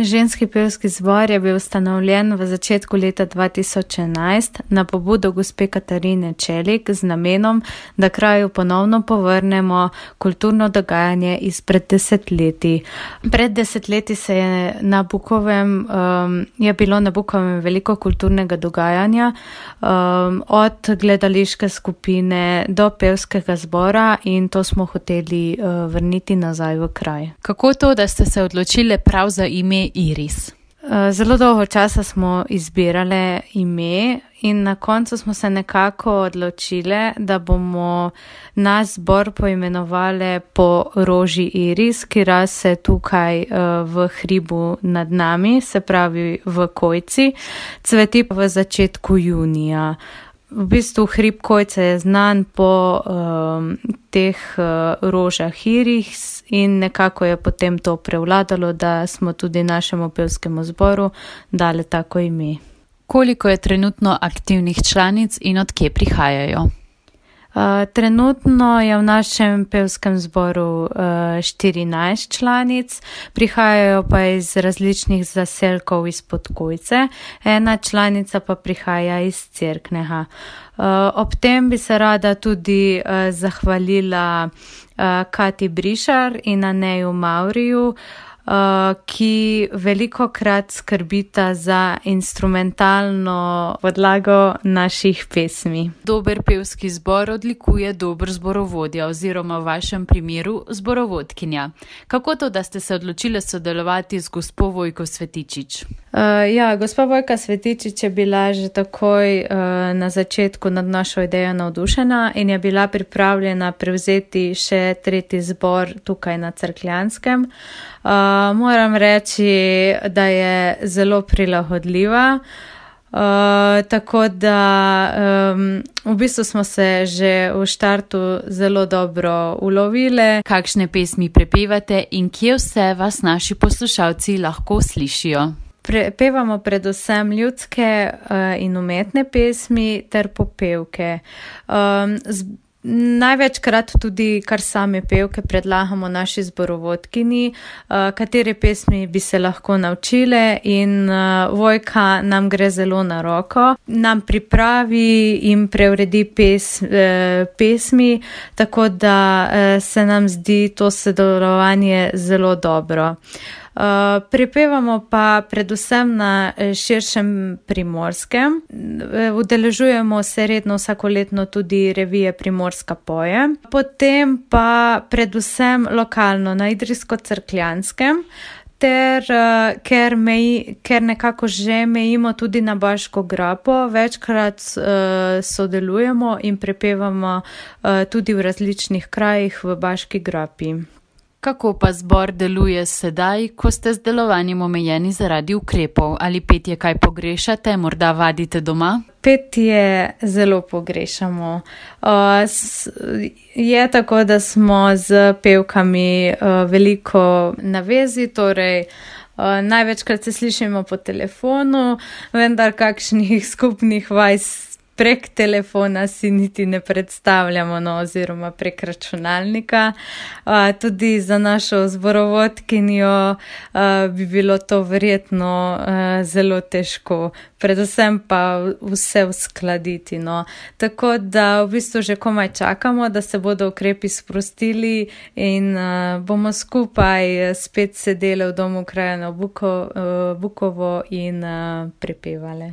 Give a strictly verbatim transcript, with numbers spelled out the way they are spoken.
Ženski pevski zbor je bil ustanovljen v začetku leta dva tisoč enajst na pobudo gospe Katarine Čelik z namenom, da kraju ponovno povrnemo kulturno dogajanje izpred desetletij. Pred desetletji se je na Bukovem, um, je bilo na Bukovem veliko kulturnega dogajanja, um, od gledališke skupine do pevskega zbora, in to smo hoteli uh, vrniti nazaj v kraj. Kako to, da ste se odločili prav za ime Iris? Zelo dolgo časa smo izbirale ime in na koncu smo se nekako odločile, da bomo naš zbor poimenovali po roži Iris, ki raste tukaj v hribu nad nami, se pravi v Kojci, cveti v začetku junija. V bistvu hrib Kojce je znan po um, teh uh, rožah Iris in nekako je potem to prevladalo, da smo tudi našemu pevskemu zboru dali tako ime. Koliko je trenutno aktivnih članic in od kje prihajajo? Uh, trenutno je v našem pevskem zboru uh, štirinajst članic, prihajajo pa iz različnih zaselkov izpod Kojce, ena članica pa prihaja iz Cerknega. Uh, ob tem bi se rada tudi uh, zahvalila uh, Kati Brišar in Aneju Mauriju, Uh, ki veliko krat skrbita za instrumentalno podlago naših pesmi. Dober pevski zbor odlikuje dober zborovodja oziroma v vašem primeru zborovodkinja. Kako to, da ste se odločili sodelovati z gospo Vojko Svetičič? Uh, ja, gospa Vojka Svetičič je bila že takoj uh, na začetku nad našo idejo navdušena in je bila pripravljena prevzeti še tretji zbor tukaj na Cerkljanskem. Uh, moram reči, da je zelo prilagodljiva, uh, tako da um, v bistvu smo se že v štartu zelo dobro ulovile. Kakšne pesmi prepevate in kje vse vas naši poslušalci lahko slišijo? Pevamo predvsem ljudske uh, in umetne pesmi ter popevke. Um, z, največkrat tudi kar same pevke predlagamo naši zborovodkini, uh, katere pesmi bi se lahko naučile, in uh, Vojka nam gre zelo na roko. Nam pripravi in preuredi pes, uh, pesmi, tako da uh, se nam zdi to sodelovanje zelo dobro. Uh, prepevamo pa predvsem na širšem Primorskem. Udeležujemo se redno vsakoletno tudi revije Primorska poje. Potem pa predvsem lokalno na Idrijsko-Cerkljanskem, ter uh, ker, meji, ker nekako že mejimo tudi na Baško grapo, večkrat uh, sodelujemo in prepevamo uh, tudi v različnih krajih v Baški grapi. Kako pa zbor deluje sedaj, ko ste z delovanjem omejeni zaradi ukrepov? Ali petje kaj pogrešate, morda vadite doma? Petje zelo pogrešamo. Uh, s, je tako, da smo z pevkami uh, veliko na vezi, torej uh, največkrat se slišimo po telefonu, vendar kakšnih skupnih vaj prek telefona si niti ne predstavljamo, no, oziroma prek računalnika. Uh, tudi za našo zborovodkinjo uh, bi bilo to verjetno uh, zelo težko, predvsem pa vse uskladiti. No. Tako da v bistvu že komaj čakamo, da se bodo ukrepi sprostili in uh, bomo skupaj spet sedeli v domu kraja na Buko, uh, Bukovo in uh, prepevali.